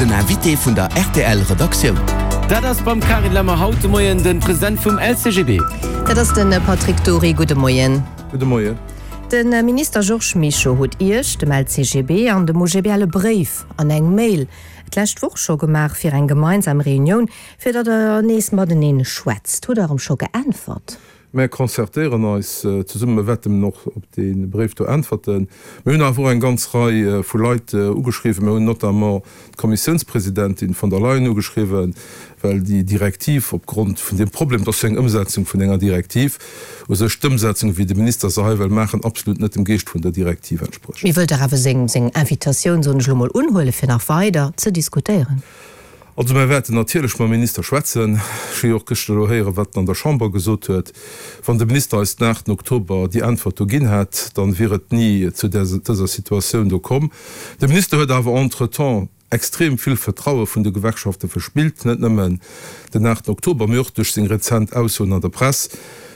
Den Invité vun der rtl Redaktioun. Dat ass beim Carine Lemmer haut de Moien de President vum LCGB. Dat ass de Patrick Dury. Gudde Moien. Gudde Moien. De Minister Georges Mischo huet Iech, dem LCGB an dem OGBL e Bréif an eng Mail d'lescht Woch scho gemaach fir eng gemeinsam Reunioun, fir datt der nees mateneen schwätzt. Hutt Der erëm scho geäntwert? Mär concertéieren eis zesummen, mir wäerten och op dee Bréif do äntwerten. Mir hunn awer och eng ganz Rei vu Leit ugeschriwwen. Mir hunn notamment d'Kommissiounspresidentin von der Leyen ugeschriwwen, well déi Direktiv opgrond vun deem Problem, et ass jo eng Ëmsetzung vun enger Direktiv, u sech d'Ëmsetzung, wéi de Minister se hei wëll maachen, absolut net dem Geescht vun der Direktiv entsprécht. Mee wëllt Der awer seng Invitatioun, soen ech elo mol, unhuelen, fir nach weider ze diskutéieren? Also mär wäerten natierlech mam Minister schwätzen. Ech hu jo och gëschter elo héieren, wat en an der Chamber gesot huet. Wann de Minister eis den 8 Oktober déi Äntwert do ginn hätt, dann wier et ni zu dëser Situatioun do komm. De Minister huet awer entretemps extrem vill Vertraue vun de Gewerkschafte verspillt, net nëmmen den 8 Oktober, mee och duerch seng rezent Aussoen an der Press.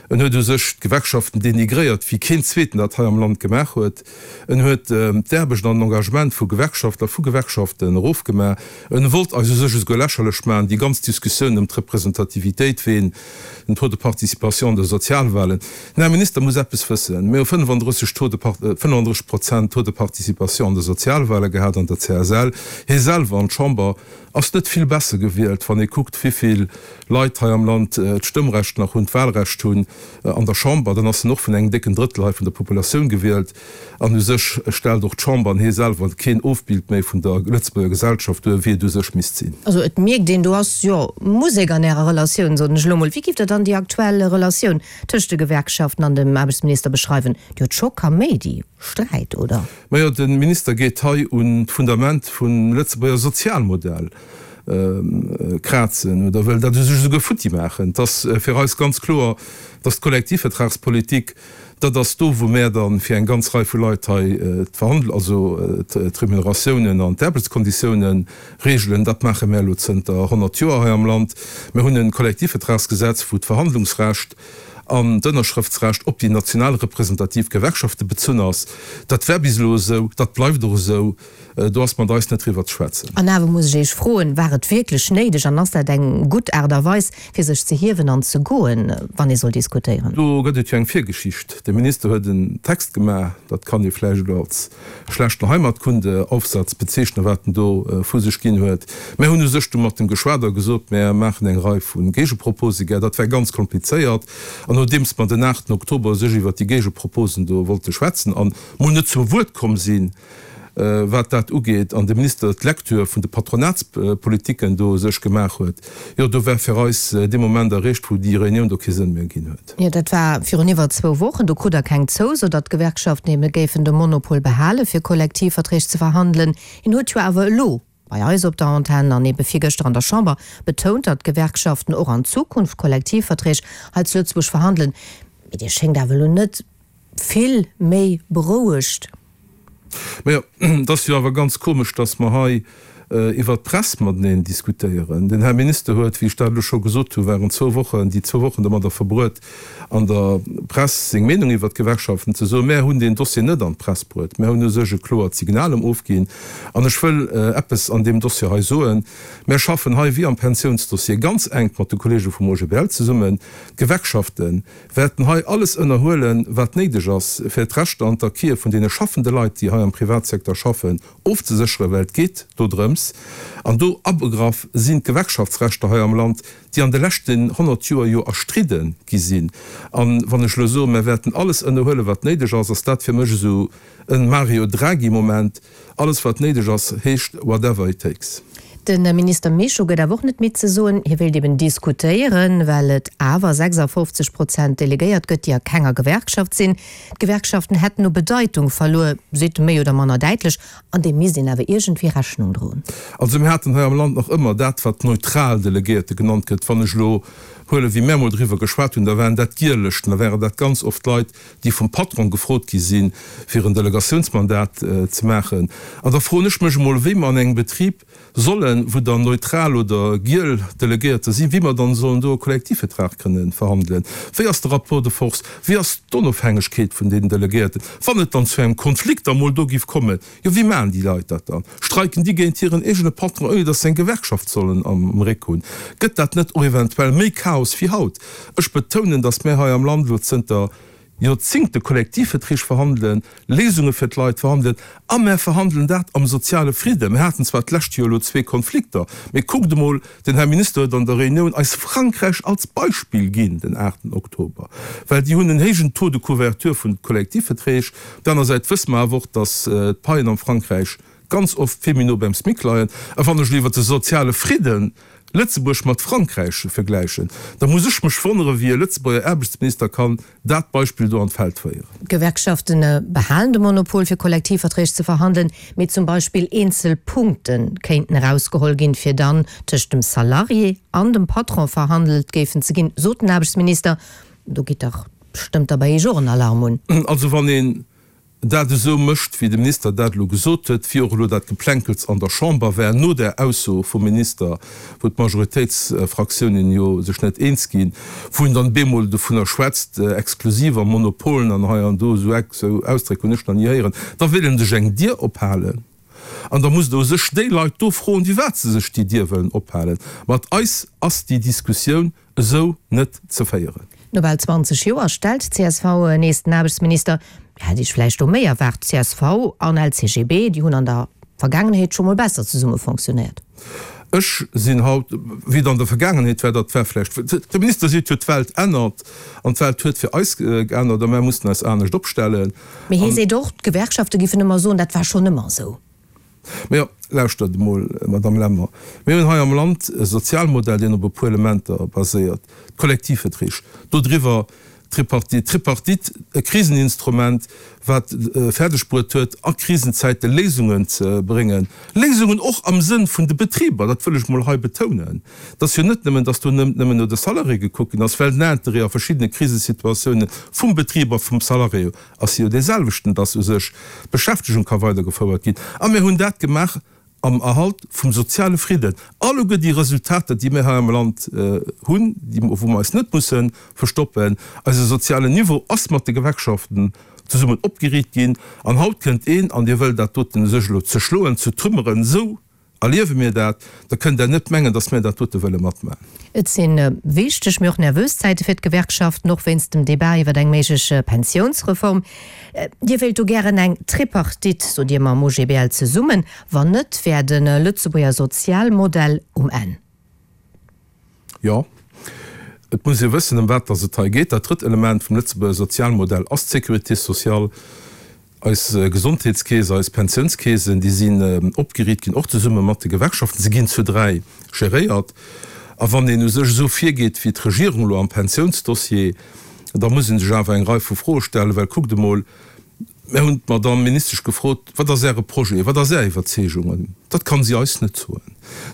En huet u sech d'Gewerkschaften denigréiert, wéi keen zweeten dat hei am Land gemaach huet. En huet d'Aarbecht an den Engagement vu Gewerkschaftler, vu Gewerkschaften erofgemaach. En wollt eis u sech esouguer lächerlech maachen, déi ganz Diskussioun ëm d'Representativitéit, ween den Taux de participation an de Sozialwahlen. Den Här Minister muss eppes wëssen, Mir hu 35 Taux de 35 Prozent Taux de participation an de Sozialwahle gehat an der CSL. Hie selwer an d'Chamber ass net vill besser gewielt, wann ee kuckt, wivill Leit hei am Land d'Stëmmrecht nach hunn, d'Wahlrecht hunn an der Chamber, dann ass en och vun engem décken Drëttel hei vun der Populatioun gewielt. An u sech stellt och d'Chamber an hie selwer keen Ofbild méi vun der Lëtzebuerger Gesellschaft duer, wéi et u sech misst sinn. Also et mierkt een, do ass, jo, Musek an Ärer Relatioun, soen ech elo mol. Wéi giff Der dann déi aktuell Relatioun tëscht de Gewerkschaften an dem Aarbechtsminister beschreiwen? Déi huet scho Kaméidi, Sträit, oder? Majo, de Minister geet hei un d'Fundament vum Lëtzebuerger Sozialmodell krazen oder wëll dat u sech esouguer futti maachen. Et ass fir eis ganz kloer, dass d'Kollektivvertragspolitik, dat ass do, wou mär da fir eng ganz Rei vu Leit hei d'Verhandl-, also d'Remuneratiounen an d'Aarbechtskonditiounen regelen. Dat maache mär elo zënter 100 Joer hei am Land. Mir hunn e Kollektivvertragsgesetz, wou d'Verhandlungsrecht an d'Ënnerschrëftsrecht op déi national representativ Gewerkschafte bezunn ass. Dat war bis elo esou, dat bleift och esou. Do ass mat eis net driwwer ze schwätzen. An awer muss ech Iech froen, War et wierklech néideg an ass dat eng gutt Aart a Weis, fir sech ze hiewen an ze goen, wann ee soll diskutéieren? Do gëtt et jo eng Virgeschicht. De Minister huet en Text gemaach, dat kann ee vläicht elo als schlechten Heimatkunde-Aufsatz bezeechnen, wat en do vu sech ginn huet. Mär hunn u sech du mat em geschwat a gesot, mär maachen eng Rei vu Géigeproposë gär. Dat war ganz komplizéiert. An nodeems mer den 8 Oktober u sech iwwert déi Géigeproposen do wollte schwätzen an mol net zum Wuert komm sinn, wat dat ugeet, an de Minister d'Lecture vun de Patronatspolitiken do u sech gemaach huet, jo, do war fir eis dee Moment erreecht, wou déi Reunioun do kee Sënn méi ginn huet. Jo, dat war virun iwwer zwou Wochen. Do krut Der keng Zouso, datt d'Gewerkschaften ebe géifen de Monopol behale fir Kollektivverträg ze verhandelen. Hien huet jo awer elo bei eis op der Antenn an ebe virgëschter an der Chamber betount, datt d'Gewerkschaften och an Zukunft Kollektivverträg hei zu Lëtzebuerg verhandelen. Mee Dir schéngt awer elo net vill méi berouegt. Majo, et ass jo awer ganz komesch, datt mer hei iwwert d'Press mateneen diskutéieren. Den Här Minister huet, wéi ech dat elo scho gesot hu während zwou Wochen, déi zwou Wochen domadder verbruet, an der Press seng Meenung iwwert d'Gewerkschaften ze soen. Mär hunn deen Dossier net an d'Press bruet. Mär hunn u sech e kloert Signal em ofginn. An ech wëll eppes an deem Dossier hei soen, Mär schaffen hei wéi am Pensiounsdossier ganz enk mat de Kollege vum OGBL zesummen. D'Gewerkschaften wäerten hei alles ënnerhuelen, wat néideg ass, fir d'Rechter an d'Acquise vun deene schaffende Leit, déi hei am Privatsecteur schaffen, ofzesécheren, well et geet do drëms, an do abegraff sinn d'Gewerkschaftsrechter hei am Land, déi an de leschten 100 Joer jo erstridde gi sinn. A wann ech elo soen, mer wäerten alles ënnerhuelen, wat néideg ass, ass dat fir mech esou e Mario Draghi-Moment, Alles wat néideg ass, heescht whatever it takes. De Minister Mischo gëtt awer och net midd ze soen, hie wéilt eben diskutéieren, well et awer 56 Prozent Delegéiert gëtt, déi a kenger Gewerkschaft sinn. D'Gewerkschaften hätten u Bedeitung verluer, seet e méi oder manner däitlech, an deem misst een awer iergendwéi Rechnung droen. Also mir haten hei am Land nach ëmmer dat, wat neutral Delegéierte genannt gëtt. Wann ech elo. Huelen, wéi mär emol driwwer geschwat hunn, da waren dat Giellëschten, da waren dat ganz oft Leit, déi vum Patron gefrot gi sinn, fir en Delegatiounsmandat ze maachen. An da froen ech mech emol, wéi mer an engem Betrib sollen, wou dann neutral oder giel Delegéierter sinn, wéi mer dann sollen do e Kollektivvertrag kënnen verhandelen. Wéi ass de Rapport de force? Wéi ass d'Onofhängegkeet vun deenen Delegéierten, wann et dann zu engem Konflikt emol do giff kommen? Jo, wéi maachen déi Leit dat dann? Streiken déi géint hiren eegene Patron, ouni datt se eng Gewerkschaft sollen am Réck hunn? Gëtt dat net och eventuell méi Chaos wéi haut? Ech betounen, datt mär hei am Land elo zënter Joerzingte Kollektivverträg verhandelen, Léisunge fir d'Leit verhandelen, a mär verhandelen dat am soziale Fridden. Mir haten zwar d'lescht Joer elo zwee Konflikter, mee kuckt emol, den Här Minister huet an der Reunioun eis Frankräich als Beispill ginn, den aachten Oktober, well déi hunn en héijen Taux de couverture vun Kollektivverträg. Op der aner Säit wësse mer awer och, datt d'Paien am Frankräich ganz oft vill méi no beim SMIC leien. A wann ech elo iwwert de soziale Fridden Lëtzebuerg mat Frankräich vergläichen, da muss ech mech wonnere wéi e Lëtzebuerger Aarbechtsminister kann dat Beispill do an d'Feld féieren. D'Gewerkschaften behalen de Monopol fir Kollektivverträg ze verhandelen, mee zum Beispill eenzel Punkte kéinten erausgeholl ginn, fir dann tëscht dem Salarié an dem Patron verhandelt géifen ze ginn, sot den Aarbechtsminister. Do geet dach bestëmmt da bei Iech och en Alarm un. Also wann een dat esou mécht, wéi de Minister dat elo gesot huet, wéi och elo dat Geplänkels an der Chamber war no där Ausso vum Minister, wou d'Majoritéitsfraktiounen jo sech net eens ginn, wou en dann bemol dovunner schwätzt, exklusiv a Monopolen an hei an do, esou Ausdréck hunn ech nach ni héieren, da wéll en sech eng Dier ophalen. An da musst Der u sech déi Leit do froen, firwat se sech déi Dier wëllen ophalen. Mat eis ass déi Diskussioun esou net ze féieren. No bal 20 Joer stellt d'CSV nees den Aarbechtsminister. Hätt Iech vläicht do méi erwaart? Csv an LCGB, déi hunn an der Vergaangenheet scho mol besser zesumme fonctionnéiert. Ech sinn haut, wéi et an der Vergaangenheet war, dat war vläicht, de Minister seet jo, d'Welt ännert an d'Welt huet fir eis geännert a mär mussen eis anescht opstellen. Mee hie seet och, d'Gewerkschafte giffen ëmmer soen, dat war schonn ëmmer esou. Mä lauschtert emol, Madame Lemmer, mir hunn hei am Land e Sozialmodell, deen op e puer Elementer baséiert, d'Kollektivverträg, dodriwwer d'Tripartite, d'Tripartite, e Kriseninstrument, wat fäerdeg bruet huet, a Krisenzäite Léisungen ze bréngen, Léisungen och am Sënn vun de Betriber, dat wëll ech emol hei betounen. Et ass jo net nëmmen, datt do net nëmmen no de Salarié gekuckt ginn ass, well den Interêt a verschiddene Krisesituatiounen vum Betrib a vum Salarié ass jo dee selwechten, dass u sech d'Beschäftegung ka weidergefouert ginn. A mir hunn dat gemaach am Erhalt vum soziale Fridden. Alleguer déi Resultater, déi mir hei am Land hunn, déi, wou mer eis net musse verstoppen, eise sozialen Niveau ass mat de Gewerkschaften zesummen opgeriicht ginn. An haut kënnt een an dee wëll dat doten u sech elo zerschloen, zertrümmeren, esou Erliewe mir dat, da kënnt Der net mengen, datt mir dat dote wëlle matmachen. Et si wichteg, mee och nervös Zäite fir d'Gewerkschaften, och wéinst dem Debat iwwer eng méiglech Pensiounsreform. Dir wéilt do gären eng Tripartite, sot Dir, mam OGBL zesummen. Wann net, wär de Lëtzebuerger Sozialmodell um Enn. Jo, et muss ee wëssen, ëm wat datt et hei geet. Dat drëtt Element vum Lëtzebuerger Sozialmodell ass d'Sécurité sociale. Eis Gesondheetskeess, eis Pensiounskeesen, déi sinn opgeriicht ginn, och zesumme mat de Gewerkschaften. Se ginn zu 3 geréiert. A wann een u sech esou virgeet wéi d'Regierung elo am Pensiounsdossier, da muss ee sech awer eng Rei vu Froe stellen. Well kuckt emol, mir hunn d'Madamm Ministesch gefrot, Wat ass Äre Projet, wat ass Är Iwwerzeegung? Dat kann si eis net soen.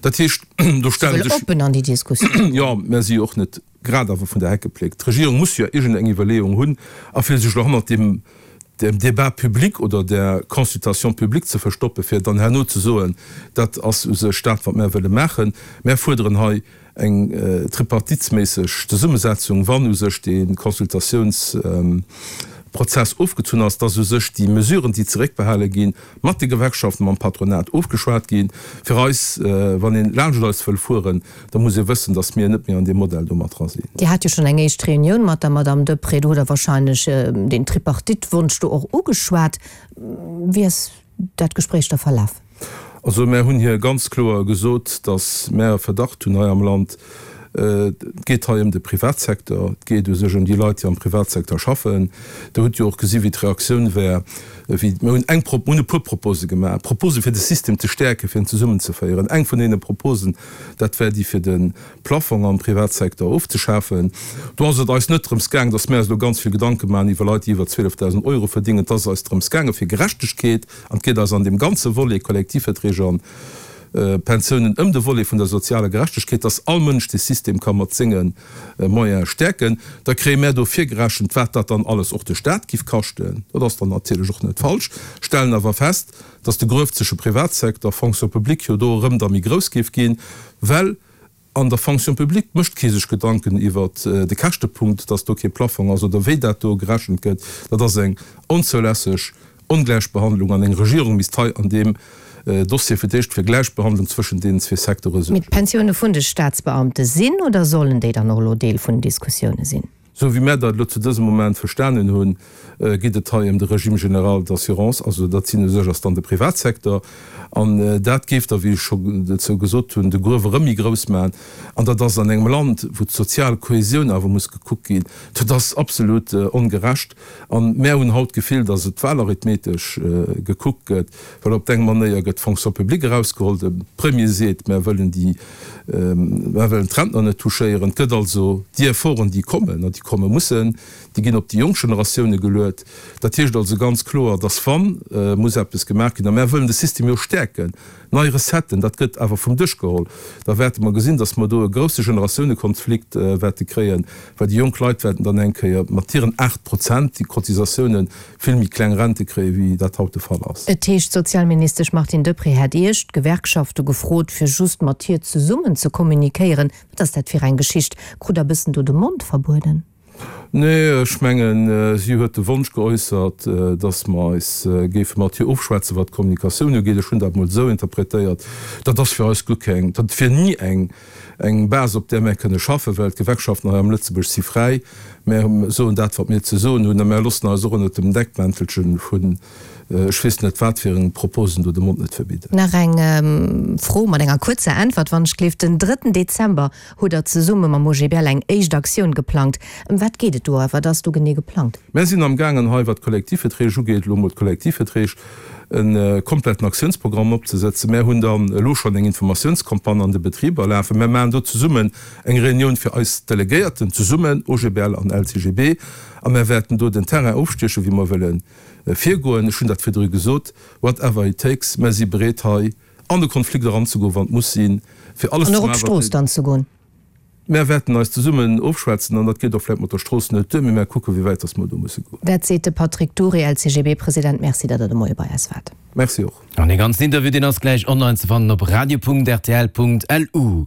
Dat heescht, do stelle sech. Oppen an déi Diskussioun. Jo, mä si och net grad awer vun der Heck gepléckt. D'Regierung muss jo iergendeng Iwwerleeung hunn a fir sech elo hannert deem dem Débat public oder der Consultation publique ze verstoppen, fir dann herno ze soen, dat ass u sech dat, wat mär wëlle maachen. Mär fuerderen hei eng tripartitsméisseg Zesummesetzung, wann u sech dee Consultatiounsprozess ofgezunn ass, dass u sech déi Mesuren, déi zeréckbehale ginn, mat de Gewerkschaften, mam Patronat ofgeschwat ginn. Fir eis, wann een laanscht eis wëll fueren, da muss ee wëssen, datt mir net méi an deem Modell do mat dra sinn. Dir hat jo schonn eng éischt Reunioun mat der Madame Deprez, do hutt Der wahrscheinlech deen Tripartite-Wonsch do och ugeschwat. Wéi ass dat Gespréich da verlaf? Also mär hunn hir ganz kloer gesot, datt mär e Verdacht hunn hei am Land, Et geet hei ëm de Privatsecteur, et geet u sech ëm déi Leit, déi am Privatsecteur schaffen. Der hutt jo och gesi wéi d'Reaktioun war, wéi mir hunn eng Pro, mir hunn e puer Propose gemaach, Propose fir de System ze stäerken, fir en zesummenzeféieren. Eng vun deene Proposen, dat war déi fir de Plafong am Privatsecteur ofzeschafen. Do ass et eis net drëms gaang, datt mir eis elo ganz vill Gedanke maachen iwwer Leit, déi iwwer 12.000 Euro verdingen. Et ass eis drëms gaange fir Gerechtegkeet an et geet eis an deem ganze Volet Kollektivverträge an. Pensiounen, ëm de Volet vun der sozialer Gerechtegkeet, dass all Mënsch dee System ka mat senge Moyene stäerken. Da kréie mär do virgerechent, wat dat dann alles och de Staat giff kaschten. Dat ass dann natierlech och net falsch, stellen awer fest, dass de Gruef zwësche Privatsecteur a Fonction publique jo do erëm da méi grouss géif ginn, well an der Fonction publique mécht kee sech Gedanken iwwert de Käschtepunkt, dass do kee Plafong ass oder wéi dat do gerechent gëtt. Dat ass eng onzoulässeg Ongläichbehandlung an eng Regierung misst hei an deem Dossier fir d'éischt fir Gläichbehandlung zwëschen deenen zwee Secteure Mee suergen. d'Pensioune vun de Staatsbeamte sinn oder sollen déi dann och elo Deel vun den Diskussioune sinn? Sou wéi mär dat elo zu dësem Moment verstanen hunn, geet et hei ëm de Régime général d'assurance, also dat sinn u sech ass dann de Privatsecteur. An dat géif da, wéi ech scho dozou gesot hunn, de Gruef erëm méi grouss maachen. An dat ass an engem Land, wou d'sozial Kohesioun awer muss gekuckt ginn, dat ass absolut ongerecht. An mär hunn haut d'Gefill, datt et wahlarithmetesch gekuckt gëtt, well op eng Manéier gëtt d'Fonction publique erausgeholl, de Premier seet, mär wëllen déi, mär wëllen d'Rentner net touchéieren. Et gëtt also déi Efforten, déi kommen an déi komme mussen, déi ginn op déi jonk Generatioune geluet. Dat heescht also ganz kloer, datt wa muss eppes gemaach ginn, a mär wëllen de System jo stäerken, nei Recetten, dat gëtt awer vum Dësch geholl, da wäerte mer gesinn, datt mer do e grousse Generatiounekonflikt wäerte kréien, well déi jonk Leit wäerten dann eng Kéier mat hiren 8 Prozent déi Cotisatiounen vill méi kleng Rente kréien, wéi dat haut de Fall ass. Et heescht, d'Sozialministesch Martine Deprez hätt Iech, d'Gewerkschafte, gefrot, fir just mat hir zesummen ze kommunikéieren. Wat ass dat fir eng Geschicht? Krut Der bëssen do de Mond verbueden? Nee, ech mengen, si huet de Wonsch geäussert, datt mer eis géife mat hir ofschwätzen, wat d'Kommunikatioun ugeet. Ech hunn dat emol esou interpretéiert, dat ass fir eis guer keng, dat wier ni eng, eng Base, op där mär kënne schaffen, well d'Gewerkschaften hei am Lëtzebuerg si fräi. Mär soen dat, wat mir ze soen hunn, a mär loossen eis och ënnert dem Deckmäntelche vun ech weess net wat fir eng Proposen do de Mond net verbidden. Nach eng Fro mat enger kuerzer Äntwert, wann ech gleef. Den drëtten Dezember hutt Der zesumme mam OGBL eng éischt Aktioun geplangt. Ëm wat geet et do a wat ass do genee geplangt? Mär sinn amgaangen hei, wat d'Kollektivverträg ugeet, elo emol d'Kollektivverträg, e kompletten Aktiounsprogramm opzesetzen. Mär hunn dann elo schonn eng Informatiounscampagne an de Betriber lafen. Mär maachen do zesummen eng Reunioun fir eis Delegéierten, zesummen, OGBL an LCGB, a mär wäerten do den Terrain ofstiechen, wéi mer wëlle virgoen. Ech hunn dat virdru gesot, whatever it takes, mär si bereet hei an de Konflikt eranzegoen, wann et muss sinn, fir alles ze maachen, wat. An och op d'Strooss dann ze goen. Mär wäerten eis zesummen ofschwätzen an dat geet och vläicht mat der Strooss net duer, mee mär kucken, wéi wäit dass mer do musse goen. Dat seet de Patrick Dury, LCGB-President. Merci, datt Der de Moie bei eis waart. Merci och. An dee ganzen Interview, deen ass gläich online ze fannen op radio.rtl.lu.